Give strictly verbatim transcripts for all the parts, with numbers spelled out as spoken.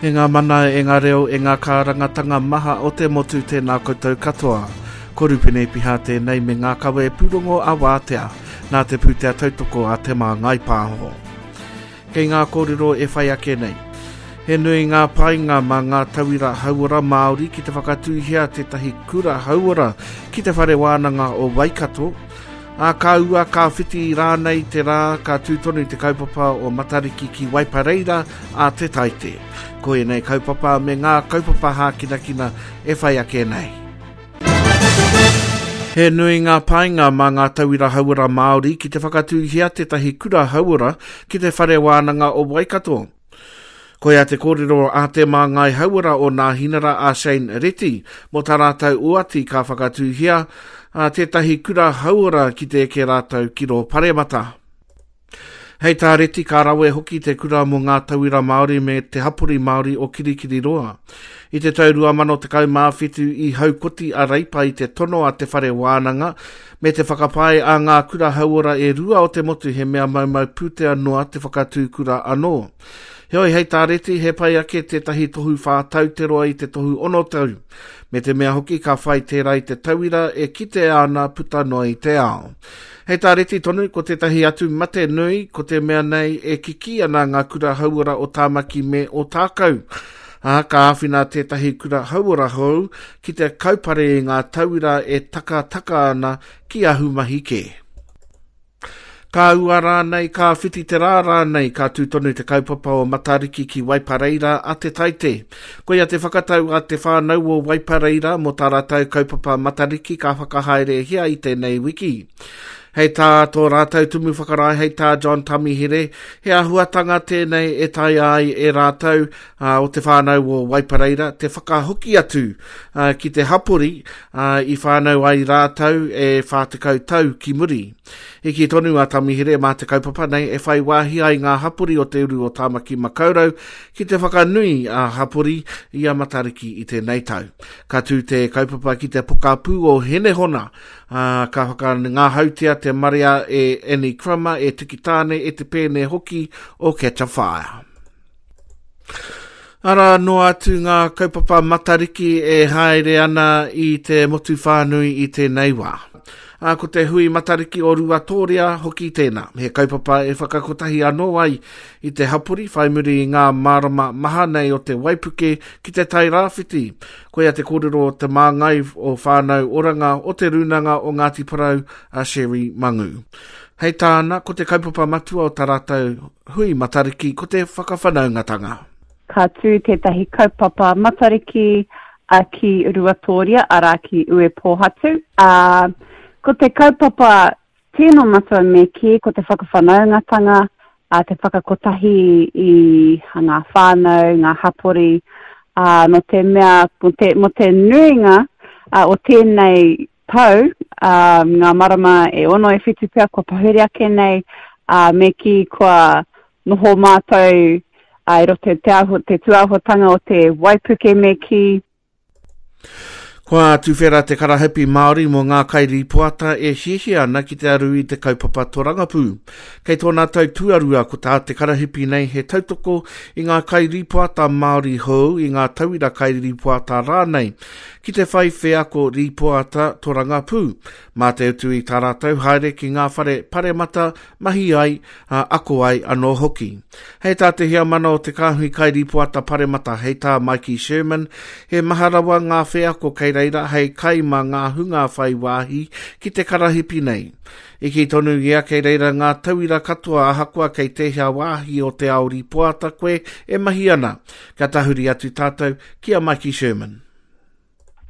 E ngā mana, e ngā reo, e ngā kārangatanga maha o te motu tēnā koutou katoa. Ko Rupene Piha tēnei me ngā kawe pūrongo a Wātea, nā te pūtea tautoko a Te Māngai Pāho. Kei ngā kōrero e whai ake nei. He nui ngā painga mā ngā tauira hauora Māori ki te whakatūhia tētahi kura hauora ki te whare wānanga o Waikato, ā ka ua ka whiti rānei te rā ka tū tonu te kaupapa o Matariki ki Waipareira a Te Taite. Ko ēnei kaupapa me ngā kaupapa hākinakina e whai ake nei. He nui ngā painga mā ngā tauira hauora Māori ki te whakatūhia tētahi kura hauora ki te whare wānanga o Waikato. Koia te kōrero a te māngai hauora o Nāhinara a Shane Reti mō tā rātou oati ka whakatūhia a tētahi kura hauora ki te eke rātou ki rō paremata. Hei tā Reti ka rawe hoki te kura mō ngā tauira Māori me te hapori Māori o Kirikiriroa. I te tau rua mano tekau mā whitu i haukoti a Reipa i te tono a te whare wānanga me te whakapae a ngā kura hauora e rua o te motu he mea maumau pūtea noa te whakatū kura anō. Heoi hei tā Reti he pai ake tētahi tohu whā tau te roa i te tohu ono tau, me te mea hoki ka whai tērā i te tauira e kitea ana puta noa i te ao. Hei tā Reti tonu, ko tētahi atu mate nui, ko te mea nei e kikī ana ngā kura hauora o Tāmaki me Ōtākou. Ā, ka āwhina tētahi kura hauora hou ki te kaupare i ngā tauira e takataka ana ki ahumahi kē. Ka ua rānei, ka whiti te rā rānei, ka tū tonu te kaupapa o Matariki ki Waipareira a Te Taite. Koia te whakatau a te whānau o Waipareira mō tā rātou kaupapa Matariki ka whakahaerehia i tēnei wiki. Hei tā tō rātou tumu whakarae, hei tā John Tamihere, he āhuatanga tēnei e taea ai e rātou uh, o te whānau o Waipareira te whakahoki atu uh, ki te hapori uh, i whānau ai rātou e whā tekau tau ki muri. I kī tonu a Tamihere mā te kaupapa nei e whai wāhi ai ngā hapori o te uru o Tāmaki Makaurau ki te whakanui a hapori i a Matariki i tēnei tau. Ka tū te kaupapa ki te pokapū o Henehona, uh, ka whakangahautia te marea e Annie Crummer, e Tiki Tāne, e Te Pēne hoki o Catch a Fire. Arā noa atu ngā kaupapa Matariki e haere ana i te motu whānui i tēnei wā. Ā, ko te hui Matariki o Ruatōria hoki tēnā. He kaupapa e whakakotahi anō ai i te hapori whai muri i ngā marama maha nei o te waipuke ki te Tai Rāwhiti. Koia te kōrero o te māngai o Whānau Oranga o te Rūnanga o Ngāti Porou a Sherry Mangu. Hei tāna, ko te kaupapa matua o tā rātou hui Matariki ko te whakawhanaungatanga. Ka tū tētahi kaupapa Matariki a ki Ruatōria, arā ki Uepōhatu. Uh, ko te kaupapa tino matua me kī, ko te whakawhanaungatanga, uh, te whakakotahi i ngā whānau, ngā hapori, uh, no te mea, mo te, mo te nuinga uh, o tēnei tau, uh, ngā marama e ono e whitu pea kua pahure ake nei, uh, me kī kua noho mātou uh, i roto te, aho, te tūāhuatanga o te waipuke me kī. Kua tuwhera te karahipi Māori mō ngā kairīpoata e hiahia ana ki te aru i te kaupapa torangapū. Kei tōna tau tuarua ko tā te karahipi nei he tautoko i ngā kairīpoata Māori hou i ngā tauira kairīpoata rānei ki te whai wheako rīpoata torangapū. Mā te utu i tā rātou haere ki ngā whare paremata mahi ai, a, ako ai anō hoki. Hei tā te heamana o te kāhui kairīpoata paremata hei tā Mikey Sherman, he maha rawa ngā wheako kei reira hei kai mā ngā hunga whai wāhi ki te karahipi nei. I kī tonu ia kei reira ngā tauira katoa ahakoa kei tēhea wāhi o te ao rīpoata koe e mahi ana. Ka tahuri atu tātou ki a Mikey Sherman.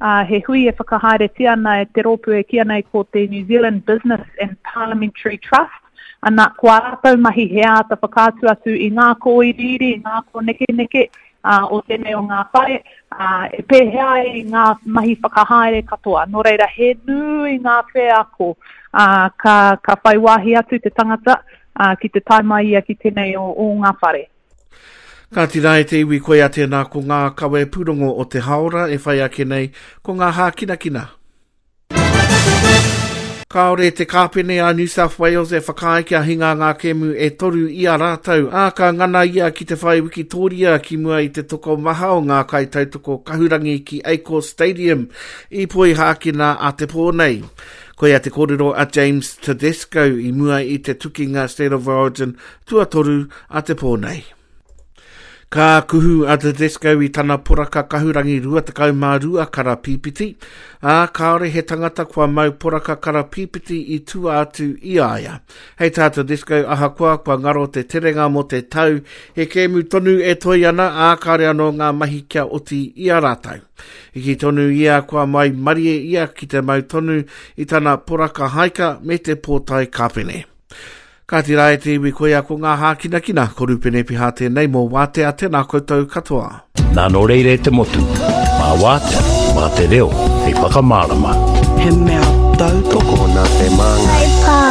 Uh, he hui e whakahaeretia ana e te rōpū e kīia nei ko te New Zealand Business and Parliamentary Trust. Ana, ko ā rātou mahi he āta whakaatu atu i ngā kōiriiri, i ngā kōnekeneke uh, o tēnei o ngā whare, uh, e pēhea ai ngā mahi whakahaere katoa. Nō reira, he nui ngā wheako uh, ka, ka whai wāhi atu te tangata uh, ki te tae mai ia ki tēnei o, o ngā whare. Ka tira e te iwi koia tēnā ko ngā kawe pūrongo o te haora e whai ake nei ko ngā hākinakina. Kāore te kāpene a New South Wales e whakaae kia hinga ngā kēmu e toru i a rātou, ā, ka ngana ia ki te whai wikitoria ki mua i te tokomaha o ngā kaitautoko kahurangi ki Eicos Stadium i Poihākena a te pō nei. Koia te kōrero a James Tedesco i mua i te tukinga State of Origin tuatoru a te pō nei. Ka kuhu a Tedesco i tana poraka kahurangi rua tekau mā rua kara pīpiti, ā, kāore he tangata kua mau poraka kara pīpiti i tua atu i a ia. Hei tā Tedesco, ahakoa kua ngaro te terenga mō te tau, he kēmu tonu e toi ana, ā, kāore anō ngā mahi kia oti i a rātou. I kī tonu ia kua mai marie ia ki te mau tonu i tana poraka haika me te pōtae kāpene. Kāti rā e te iwi, koia ko ngā hākinakina, ko Rupene Piha tēnei mō Wātea, tēnā koutou katoa. Nā nō reira e te motu, mā Wātea, mā te reo, hei whakamārama. He mea tautoko nā te māngai.